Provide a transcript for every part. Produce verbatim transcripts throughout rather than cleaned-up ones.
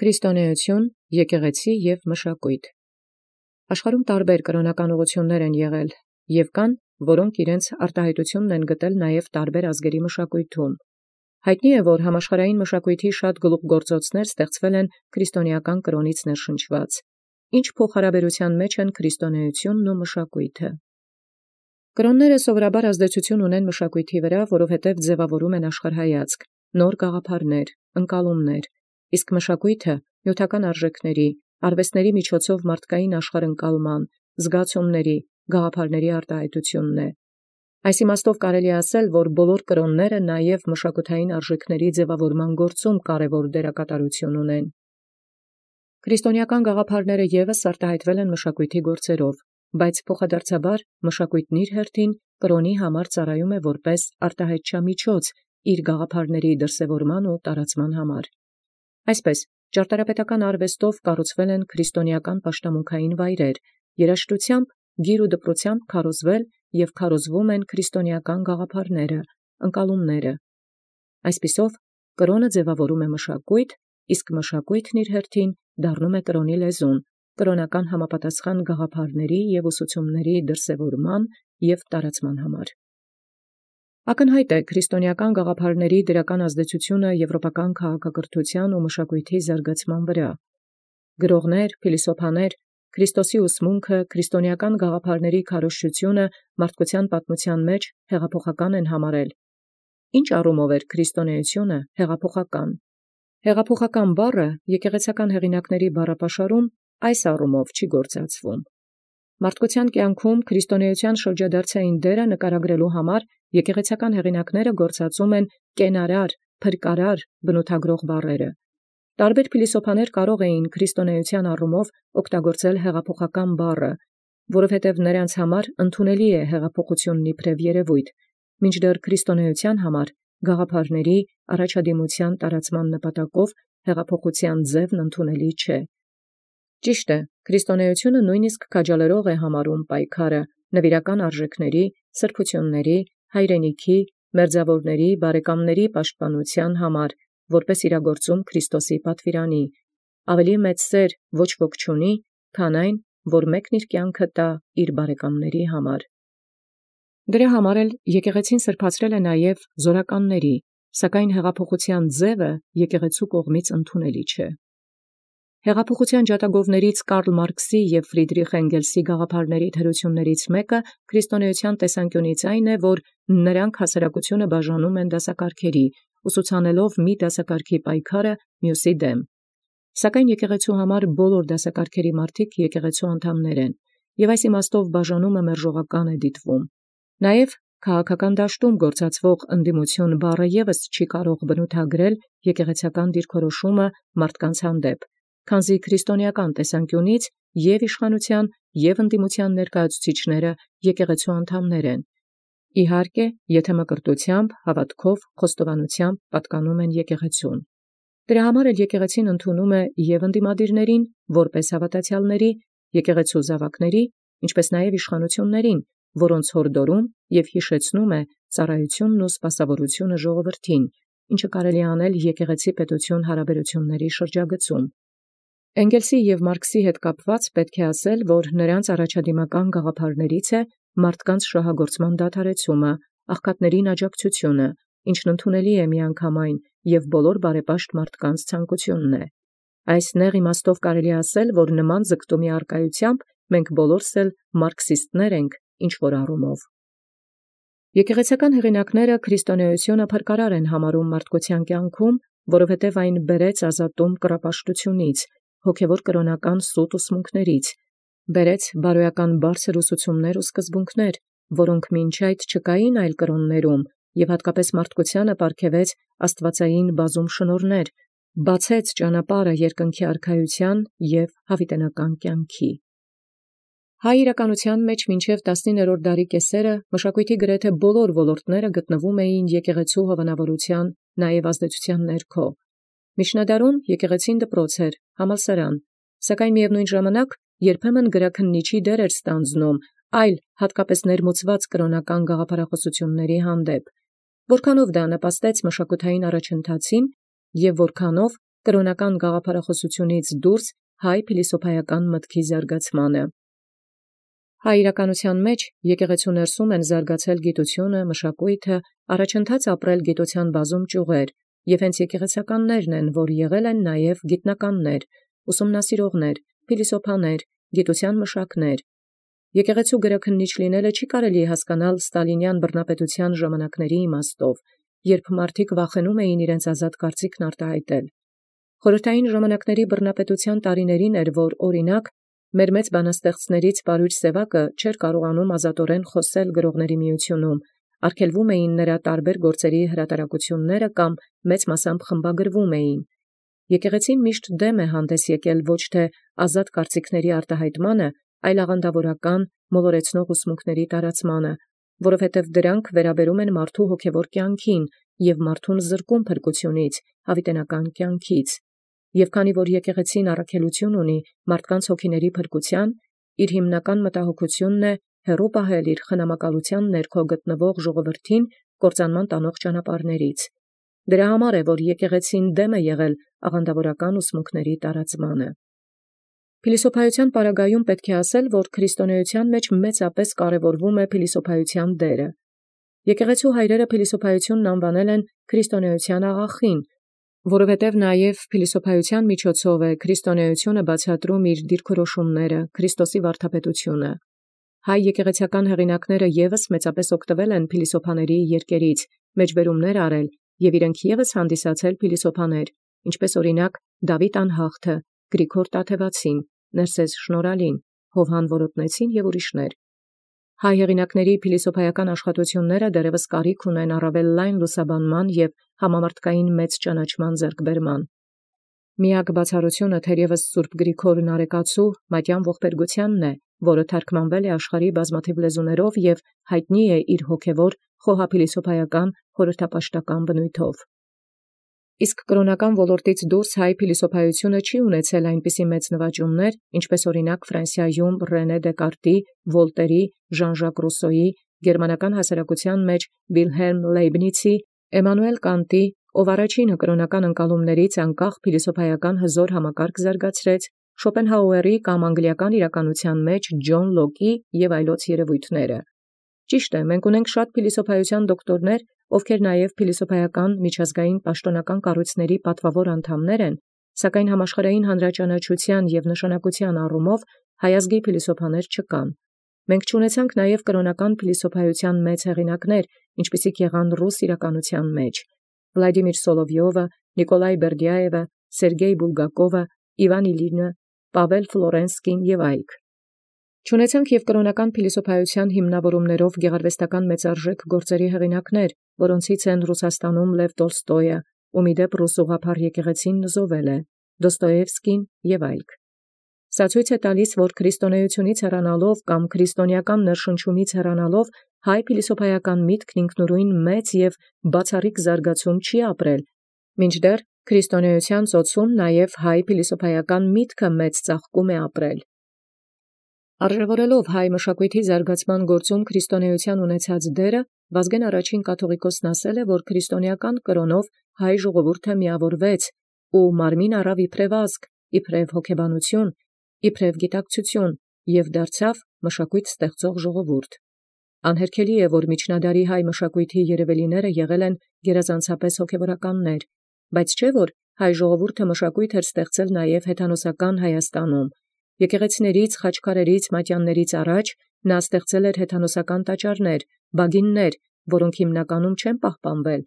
Քրիստոնեություն, եկեղեցի և մշակոյթ։ Աշխարհում տարբեր կրոնական ուղղութիւններ են եղել, և կան, որոնք իրենց արտահայտութիւնն են գտել նաև տարբեր ազգերի մշակոյթում։ Յայտնի է, որ համաշխարհային մշակոյթի շատ գլուխգործոցներ ստեղծվել են քրիստոնեական կրոնից ներշնչված։ Ինչ փոխհարաբերութեան մեջ են քրիստոնեությունն ու մշակոյթը։ Կրոնները սովորաբար ազդեցություն ունեն մշակոյթի վրա, որովհետև ձևավորում են աշխարհայացք, նոր գաղափարներ, ընկալումներ, իսկ մշակոյթը նյութական արժեքների, արվեստների միջոցով մարդկային աշխարհընկալման, զգացումների, գաղափարների արտահայտությունն է։ Այս իմաստով կարելի է ասել, որ բոլոր կրոնները նաև մշակութային արժեքների ձևավորման գործում կարևոր դերակատարություն ունեն։ Քրիստոնեական գաղափարները ևս արտահայտվել են մշակոյթի գործերով, բայց փոխադարձաբար մշակոյթն իր հերթին կրոնի համար ծառայում է որպես արտահայտչամիջոց իր գաղափարների դրսևորման ու տարածման համար։ Այսպես, ճարտարապետական արվեստով կառուցվել են քրիստոնեական պաշտամունքային վայրեր, երաժշտութեամբ, գիր ու դպրութեամբ քարոզվել և քարոզվում են քրիստոնեական գաղափարները, ընկալումները։ Այսպիսով, կրոնը ձևավորում է մշակոյթ, իսկ մշակոյթն իր հերթին դառնում է կրոնի լեզուն, կրոնական համապատասխան գաղափարների և ուսուցումների դրսևորման և տարածման համար։ Ակնհայտ է քրիստոնեական գաղափարների դրական ազդեցությունը եվրոպական քաղաքակրթութեան ու մշակոյթի զարգացման վրա։ Գրողներ, փիլիսոփաներ Քրիստոսի ուսմունքը, քրիստոնեական գաղափարների քարոզչությունը մարդկության պատմութեան մեջ հեղափոխական են համարել։ Ինչ առումով էր քրիստոնեությունը հեղափոխական։ Հեղափոխական բառը եկեղեցական հեղինակների բառապաշարում այս առումով չի գործածվում։ Մարդկության կյանքում քրիստոնեության շրջադարձային դերը նկարագրելու համար եկեղեցական հեղինակները գործածում են կենարար, փրկարար բնութագրող բառերը։ Տարբեր փիլիսոփաներ կարող էին քրիստոնեության առումով օգտագործել հեղափոխական բառը, որովհետև նրանց համար ընդունելի է հեղափոխությունն իբրև երևույթ, մինչդեռ քրիստոնեության համար գաղափարների առաջադիմության տարածման նպատակով հեղափոխության ձևն ընդունելի չէ։ Ճիշտ է, քրիստոնեությունը նույնիսկ քաջալերող է համարում պայքարը նվիրական արժեքների, սրբությունների, հայրենիքի, մերձաւորների, բարեկամների պաշտպանութեան համար, որպես իրագործում Քրիստոսի պատվիրանի։ Ավելի մեծ սեր ոչ ոք չունի, քան այն, որ մեկն իր կյանքը տա իր բարեկամների համար։ Դրա համար էլ եկեղեցին սրբացրել է նաև զորականների, սակայն հեղափոխության ձևը եկեղեցու կողմից ընդունելի չէ։ Հեղափոխության ջատագովներից Կարլ Մարքսի և Ֆրիդրիխ Էնգելսի գաղափարների թերություններից մեկը քրիստոնեության տեսանկյունից այն է, որ նրանք հասարակությունը բաժանում են դասակարգերի, ուսուցանելով մի դասակարգի պայքարը մյուսի դեմ։ Սակայն եկեղեցու համար բոլոր դասակարգերի մարդիկ եկեղեցու անդամներ են, և այս իմաստով բաժանումը մերժողական է դիտվում։ Նաև քաղաքական դաշտում գործածվող ընդդիմություն բառը ևս չի կարող բնութագրել եկեղեցական դիրքորոշումը մարդկանց հանդեպ, քանզի քրիստոնեական տեսանկյունից և իշխանության, և ընդդիմության ներկայացուցիչները եկեղեցու անդամներ են։ Իհարկե, եթե մկրտությամբ, հավատքով, խոստովանությամբ պատկանում են եկեղեցուն։ Դրա համար էլ եկեղեցին ընդունում է և ընդդիմադիրներին, որպես հավատացյալների, եկեղեցու զավակների, ինչպես նաև իշխանություններին, որոնց հորդորում և հիշեցնում է ծառայությունն ու սպասավորությունը ժողովրդին, ինչը կարելի է անել եկեղեցի պետություն հարաբերությունների շրջագծում։ Էնգելսի և Մարքսի հետ կապված պետք է ասել, որ նրանց առաջադիմական գաղափարներից է մարդկանց շահագործման դադարեցումը, աղքատներին աջակցությունը, ինչն ընդունելի է միանգամայն և բոլոր բարեպաշտ մարդկանց ցանկությունն է։ Այս նեղ իմաստով կարելի է ասել, որ նման ձգտումի առկայությամբ մենք բոլորս էլ մարքսիստներ ենք ինչ-որ առումով։ Եկեղեցական հեղինակները քրիստոնեությունը փրկարար են համարում մարդկության կյանքում, որովհետև այն բերեց ազատում կռապաշտությունից, հոգևոր կրոնական սուտ ուսմունքներից, բերեց բարոյական բարձր ուսուցումներ ու սկզբունքներ, որոնք մինչ այդ չկային այլ կրոններում, և հատկապես մարդկությանը պարգևեց աստվածային բազում շնորհներ, բացեց ճանապարհը երկնքի արքայության և հավիտենական կյանքի։ Հայ իրականության մեջ մինչև տասնիններորդ դարի կեսերը մշակոյթի գրեթե բոլոր ոլորտները գտնվում էին եկեղեցու հովանավորության նաև ազդեցության ներքո։ Միջնադարում եկեղեցին դպրոց էր, համալսարան, սակայն միևնույն ժամանակ երբեմն գրաքննիչի դեր էր ստանձնում այլ հատկապես ներմուծված կրոնական գաղափարախոսությունների հանդեպ, որքանով դա նպաստեց մշակութային առաջընթացին և որքանով կրոնական գաղափարախոսությունից դուրս հայ փիլիսոփայական մտքի զարգացմանը։ Հայ իրականության մեջ եկեղեցու ներսում են զարգացել գիտությունը, մշակույթը, առաջընթաց ապրել գիտության բազում ճյուղեր, և հենց եկեղեցականներն են, որ եղել են նաև գիտնականներ, ուսումնասիրողներ, փիլիսոփաներ, գիտության մշակներ։ Եկեղեցու գրաքննիչ լինելը չի կարելի հասկանալ ստալինյան բռնապետության ժամանակների իմաստով, երբ մարդիկ վախենում էին իրենց ազատ կարծիքն արտահայտել։ Խորհրդային ժամանակների բռնապետության տարիներին էր, որ օրինակ մեր մեծ բանաստեղծներից Պարույր Սևակը չէր կարողանում ազատորեն խոսել գրողների միությունում, արգելվում էին նրա տարբեր գործերի հրատարակությունները կամ մեծ մասամբ խմբագրվում էին։ Եկեղեցին միշտ դեմ է հանդես եկել ոչ թե ազատ կարծիքների արտահայտմանը, այլ աղանդավորական, մոլորեցնող ուսմունքների տարածմանը, որովհետև դրանք վերաբերում են մարդու հոգևոր կյանքին և մարդուն զրկում փրկությունից, հավիտենական կյանքից։ Եւ քանի որ եկեղեցին առաքելություն ունի մարդկանց հոգիների փրկության, իր հիմնական մտահոգությունն է հեռու պահել իր խնամակալության ներքո գտնվող ժողովրդին կործանման տանող ճանապարհներից։ Դրա համար է, որ եկեղեցին դեմ է եղել աղանդավորական ուսմունքների տարածմանը։ Փիլիսոփայության պարագայում պետք է ասել, որ քրիստոնեության մեջ մեծապես կարևորվում է փիլիսոփայության դերը։ Եկեղեցու հայրերը փիլիսոփայությունն անվանել են քրիստոնեության աղախին, որովհետև նաև փիլիսոփայության միջոցով է քրիստոնեությունը բացատրում իր դիրքորոշումները, Քրիստոսի վարդապետությունը։ Հայ եկեղեցական հեղինակները ևս մեծապես օգտվել են փիլիսոփաների երկերից, մեջբերումներ արել և իրենք ևս հանդիսացել փիլիսոփաներ, ինչպես օրինակ Դավիթ անհաղթը, Գրիգոր Տաթևացին, Ներսես Շնորհալին, Հովհան Որոտնեցին և ուրիշներ։ Հայ հեղինակների փիլիսոփայական աշխատությունները դեռևս կարիք ունեն առավել լայն լուսաբանման և համամարտկային մեծ ճանաչման ձեռքբերման։ Միակ բացառությունը թերևս Սուրբ Գրիգոր Նարեկացու մատյան ողբերգությանն է, որը թարգմանվել է աշխարհի բազմաթիվ լեզուներով և հայտնի է իր հոգևոր խոհափիլիսոփայական խորհրդապաշտական բնույթով։ Իսկ կրոնական ոլորտից դուրս հայ փիլիսոփայությունը չի ունեցել այնպիսի մեծ նվաճումներ, ինչպես օրինակ Ֆրանսիայում Ռենե Դեկարտի, Վոլտերի, Ժան Ժակ Ռուսոյի, գերմանական հասարակության մեջ Վիլհելմ Լեյբնիցի, Էմանուել Կանտի, ով առաջինը կրոնական ընկալումներից անկախ փիլիսոփայական հզոր համակարգ զարգացրեց, Շոպենհաուերի կամ անգլիական իրականության մեջ Ջոն Լոկի և այլոց երևույթները։ Ճիշտ է, մենք ունենք շատ փիլիսոփայության դոկտորներ, ովքեր նաև փիլիսոփայական միջազգային պաշտոնական կառույցների պատվավոր անդամներ են, սակայն համաշխարհային հանրաճանաչության և նշանակության առումով հայ ազգի փիլիսոփաներ չկան։ Մենք չունեցանք նաև կրոնական փիլիսոփայության մեծ հեղինակներ, ինչպիսիք եղան ռուս իրականության մեջ. Վլադիմիր Սոլովյովը, Նիկոլայ Բերդյաևը, Սերգեյ Բուլգակովը, Իվան Իլինը, Պավել Ֆլորենսկին և այլք։ Չունեցանք և կրոնական փիլիսոփայության հիմնավորումներով գեղարվեստական մեծարժեք գործերի հեղինակներ, որոնցից են Ռուսաստանում Լև Տոլստոյը, ում ի դեպ ռուս ուղղափառ եկեղեցին նզովել է, Դոստոևսկին և այլք։ Սա ցույց է տալիս, որ քրիստոնեությունից հեռանալով կամ քրիստոնեական ներշնչումից հեռանալով հայ փիլիսոփայական միտքն ինքնուրույն մեծ և բացառիկ զարգացում չի ապրել, մինչդեռ քրիստոնեության ծոցում նաև հայ փիլիսոփայական միտքը մեծ ծաղկում է ապրել։ Արժևորելով հայ մշակույթի զարգացման գործում քրիստոնեության ունեցած դերը, Վազգեն առաջին կաթողիկոսն ասել է, որ քրիստոնեական կրոնով հայ ժողովուրդը միավորվեց ու մարմին առավ իբրև ազգ, իբրև հոգեբանություն, իբրև գիտակցություն և դարձավ մշակույթ ստեղծող ժողովուրդ։ Անհերքելի է, որ միջնադարի հայ մշակույթի երևելիները եղել են գերազանցապես հոգևորականներ, բայց չէ՞ որ հայ ժողովուրդը մշակույթ էր ստեղծել նաև հեթանոսական Հայաստանում։ Եկեղեցիներից, խաչքարերից, մատյաններից առաջ նա ստեղծել էր հեթանոսական տաճարներ, բագիններ, որոնք հիմնականում չեն պահպանվել,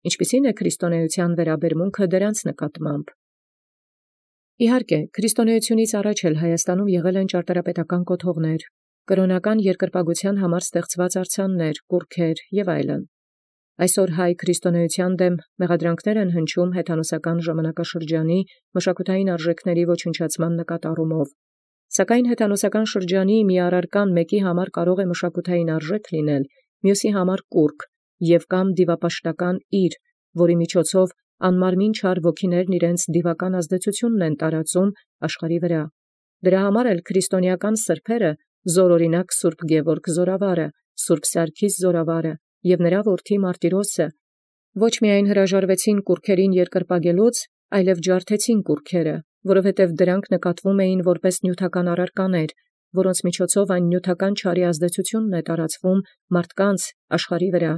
ինչպիսին է քրիստոնեության վերաբերմունքը դրանց նկատմամբ։ Իհարկե, քրիստոնեությունից առաջ էլ Հայաստանում եղել են ճարտարապետական կոթողներ, կրոնական երկրպագության համար ստեղծված արձաններ, կուռքեր և այլն։ Այսօր հայ քրիստոնեության դեմ մեղադրանքներ են հնչում հեթանոսական ժամանակաշրջանի մշակութային արժեքների ոչնչացման նկատառումով։ Սակայն հեթանոսական շրջանի մի առարկան մեկի համար կարող է մշակութային արժեք լինել, մյուսի համար կուռք և կամ դիվապաշտական իր, որի միջոցով անմարմին չար ոգիներն իրենց դիվական ազդեցությունն են տարածում աշխարհի վրա։ Դրա համար էլ քրիստոնեական սրբերը, զորօրինակ Սուրբ Գևորգ Զորավարը, Սուրբ Սարգիս Զորավարը և նրա որդի Մարտիրոսը ոչ միայն հրաժարվեցին կուռքերին երկրպագելուց, այլև ջարդեցին կուռքերը, որովհետև դրանք նկատվում էին որպես նյութական առարկաներ, որոնց միջոցով այն նյութական չարի ազդեցությունն է տարածվում մարդկանց աշխարհի վրա։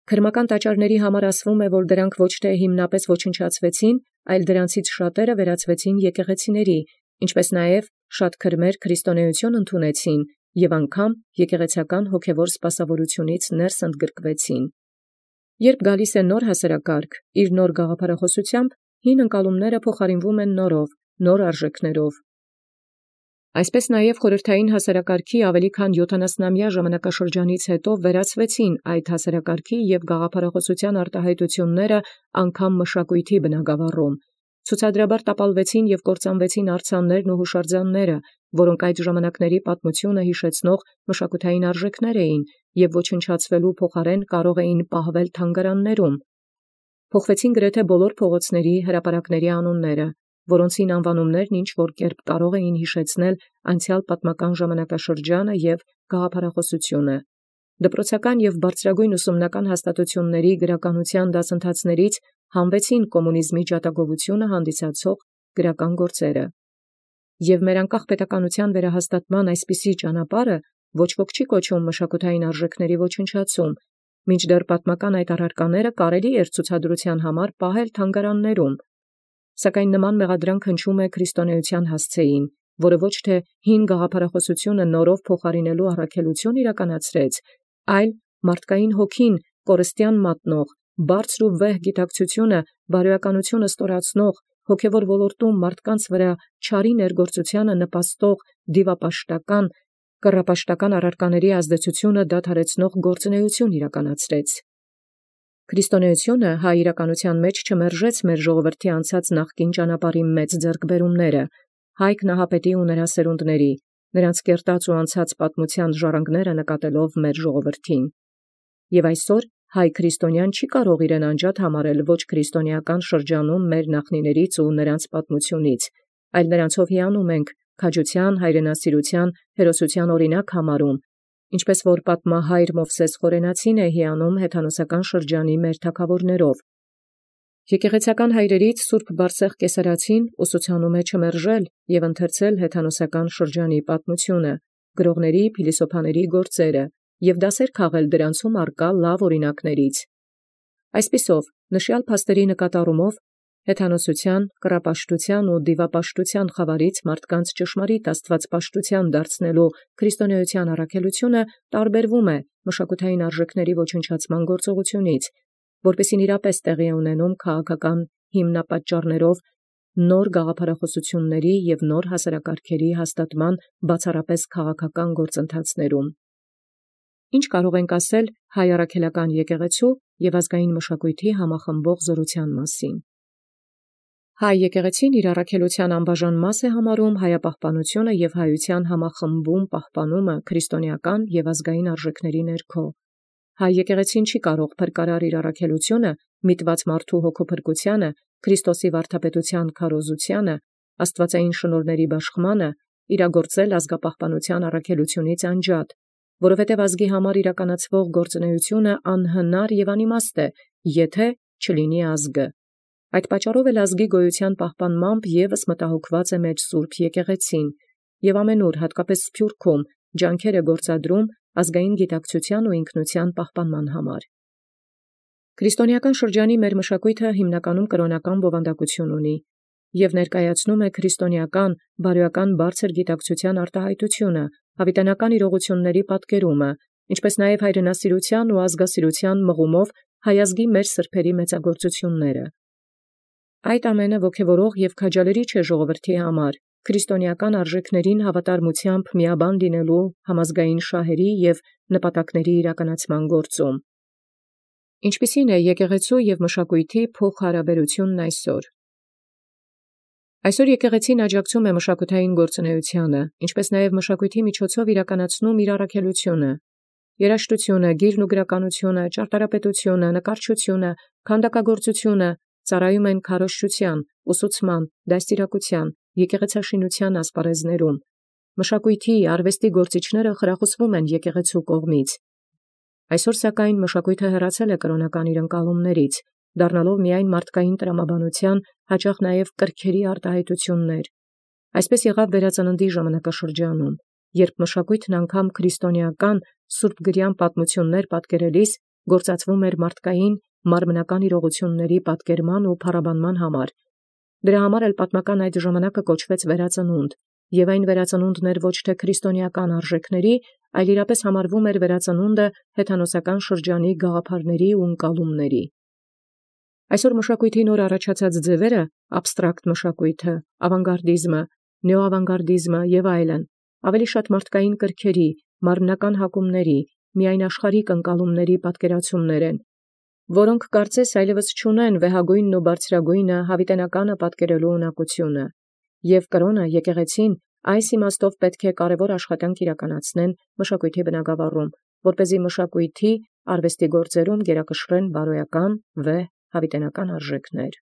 Քրմական տաճարների համար ասվում է, որ դրանք ոչ թե հիմնապես ոչնչացվեցին, այլ դրանցից շատերը վերածվեցին եկեղեցիների, ինչպես նաև շատ քրմեր քրիստոնեություն ընդունեցին և անգամ եկեղեցական հոգևոր սպասավորությունից ներս ընդգրկվեցին։ Երբ գալիս է նոր հասարակարգ, իր նոր գաղափարախոսությամբ, հին ընկալումները փոխարինվում են նորով, նոր արժեքներով։ Այսպես նաև խորհրդային հասարակարգի ավելի քան յոթանասնամյա ժամանակաշրջանից հետո վերածվեցին այդ հասարակարգի և գաղափարախոսության արտահայտությունները անգամ մշակույթի բնագավառում։ Ցուցադրաբար տապալվեցին և կործանվեցին արձաններն ու հուշարձանները, որոնք այդ ժամանակների պատմությունը հիշեցնող մշակութային արժեքներ էին և ոչնչացվելու փոխարեն կարող էին պահվել թանգարաններում։ Փոխվեցին գրեթե բոլոր փողոցների, հրապարակների անունները, որոնցին անվանումներն ինչ-որ կերպ կարող էին հիշեցնել անցյալ պատմական ժամանակաշրջանը և գաղափարախոսությունը։ Դպրոցական և բարձրագույն ուսումնական հաստատությունների գրականության դասընթացներից հանվեցին կոմունիզմի ջատագովությունը հանդիսացող գրական գործերը։ Եվ մեր անկախ պետականության վերահաստատման այսպիսի ճանապարհը ոչ ոք չի կոչում մշակութային արժեքների ոչնչացում, մինչդեռ պատմական այդ առարկաները կարելի էր ցուցադրության համար պահել թանգարաններում։ Սակայն նման մեղադրանք հնչում է քրիստոնեության հասցեին, որը ոչ թե հին գաղափարախոսությունը նորով փոխարինելու առաքելություն իրականացրեց, այլ մարդկային հոգին կորստյան մատնող, բարձր ու վեհ գիտակցությունը, բարոյականությունը ստորացնող, հոգևոր ոլորտում մարդկանց վրա չարի ներգործությանը նպաստող դիվապաշտական, կռապաշտական առարկաների ազդեցությունը դադարեցնող գործունեություն իրականացրեց։ Քրիստոնեությունը հայ իրականության մեջ չմերժեց մեր ժողովրդի անցած նախկին ճանապարհի մեծ ձեռքբերումները, հայ քնահապետի ու նրա սերունդների, նրանց կերտած ու անցած պատմության ժառանգները նկատելով մեր ժողովրդին։ Եւ այսօր հայ քրիստոնյան չի կարող իրեն անջատ համարել ոչ քրիստոնեական շրջանում մեր նախնիներից ու նրանց պատմությունից, այլ նրանցով հիանում ենք, քաջության, հայրենասիրության, հերոսության օրինակ համարում, ինչպես որ պատմահայր Մովսես Խորենացին է հիանում հեթանոսական շրջանի մեր թագավորներով։ Եկեղեցական հայրերից Սուրբ Բարսեղ Կեսարացին ուսուցանում է չմերժել և ընթերցել հեթանոսական շրջանի պատմությունը, գրողների, փիլիսոփաների գործերը և դասեր քաղել դրանցում առկա լավ օրինակներից։ Այսպիսով, նշյալ փաստերի նկատառումով հեթանոսության, կռապաշտության ու դիվապաշտության խավարից մարդկանց ճշմարիտ աստվածպաշտության դարձնելու քրիստոնեության առաքելությունը տարբերվում է մշակութային արժեքների ոչնչացման գործողությունից, որպեսզի իրապես տեղի ունենում քաղաքական հիմնապատճառներով նոր գաղափարախոսությունների և նոր հասարակարգերի հաստատման բացառապես քաղաքական գործընթացներում։ Ինչ կարող ենք ասել հայ առաքելական եկեղեցու և ազգային մշակույթի համախմբող զորության մասին։ Հայ եկեղեցին իր առաքելության անբաժան մաս է համարում հայապահպանությունը և հայության համախմբում պահպանումը քրիստոնեական և ազգային արժեքների ներքո։ Հայ եկեղեցին չի կարող փրկարար իր առաքելությունը միտված մարդու հոգեփրկությանը, Քրիստոսի վարդապետության քարոզությանը, աստվածային շնորհների բաշխմանը իրագործել ազգապահպանության առաքելությունից անջատ, որովհետև ազգի համար իրականացվող գործունեությունը անհնար և անիմաստ է, եթե չլինի ազգը։ Այդ պատճառով էլ ազգի գոյության պահպանմամբ ևս մտահոգված է մեր Սուրբ եկեղեցին և ամենուր, հատկապես Սփյուռքում, ջանքեր է գործադրում ազգային գիտակցության ու ինքնության պահպանման համար։ Քրիստոնեական շրջանի մեր մշակույթը հիմնականում կրոնական բովանդակություն ունի և ներկայացնում է քրիստոնեական, բարոյական բարձր գիտակցության արտահայտությունը, հավիտենական իրողությունների պատկերումը, ինչպես նաև հայրենասիրության ու ազգասիրության մղումով հայազգի մեր սրբերի մեծագործությունները։ Այդ ամենը ոգևորող և քաջալերիչ է ժողովրդի համար, քրիստոնեական արժեքներին հավատարմությամբ միաբան լինելու համազգային շահերի և նպատակների իրականացման գործում։ Ինչպիսի՞ն է եկեղեցու և մշակույթի փոխհարաբերությունն այսօր։ Այսօր եկեղեցին աջակցում է մշակութային գործունեությանը, ինչպես նաև մշակույթի միջոցով իրականացնում իր առաքելությունը։ Երաժշտությունը, գիրն ու գրականությունը, ճարտարապետությունը, նկարչությունը, քանդակագործությունը ծառայում են քարոզչության, ուսուցման, դաստիարակության, եկեղեցաշինության ասպարեզներում։ Մշակույթի, արվեստի գործիչները խրախուսվում են եկեղեցու կողմից։ Այսօր սակայն մշակույթը հեռացել է կրոնական իր ընկալումներից դառնալով միայն մարդկային տրամաբանության, հաճախ նաև կրքերի արտահայտություններ։ Այսպես եղավ վերածննդի ժամանակաշրջանում, երբ մշակույթն անգամ քրիստոնեական սուրբգրյան պատմություններ պատկերելիս գործածվում էր մարդկային մարմնական իրողությունների պատկերման ու փառաբանման համար։ Դրա համար էլ պատմական այդ ժամանակը կոչվեց վերածնունդ, եւ այն վերածնունդն էր ոչ թե քրիստոնեական արժեքների, այլ իրապես համարվում էր վերածնունդը հեթանոսական շրջանի գաղափարների ու ընկալումների։ Այսօր մշակույթի նոր առաջացած ձևերը, աբստրակտ մշակույթը, ավանգարդիզմը, նեոավանգարդիզմը եւ այլն, ավելի շատ մարդկային կրքերի, մարմնական հակումների, միայն աշխարհիկ ընկալումների պատկերացումներ են, որոնք կարծես այլևս չունեն վեհագույնն ու բարձրագույնը հավիտենականը պատկերելու ունակությունը, եւ կրոնը եկեղեցին այս իմաստով պետք է կարևոր աշխատանք իրականացնեն մշակույթի բնագավառում, որպեսզի մշակույթի արվեստի գործերում գերակշռեն բարոյական, վեհ, հավիտենական արժեքներ։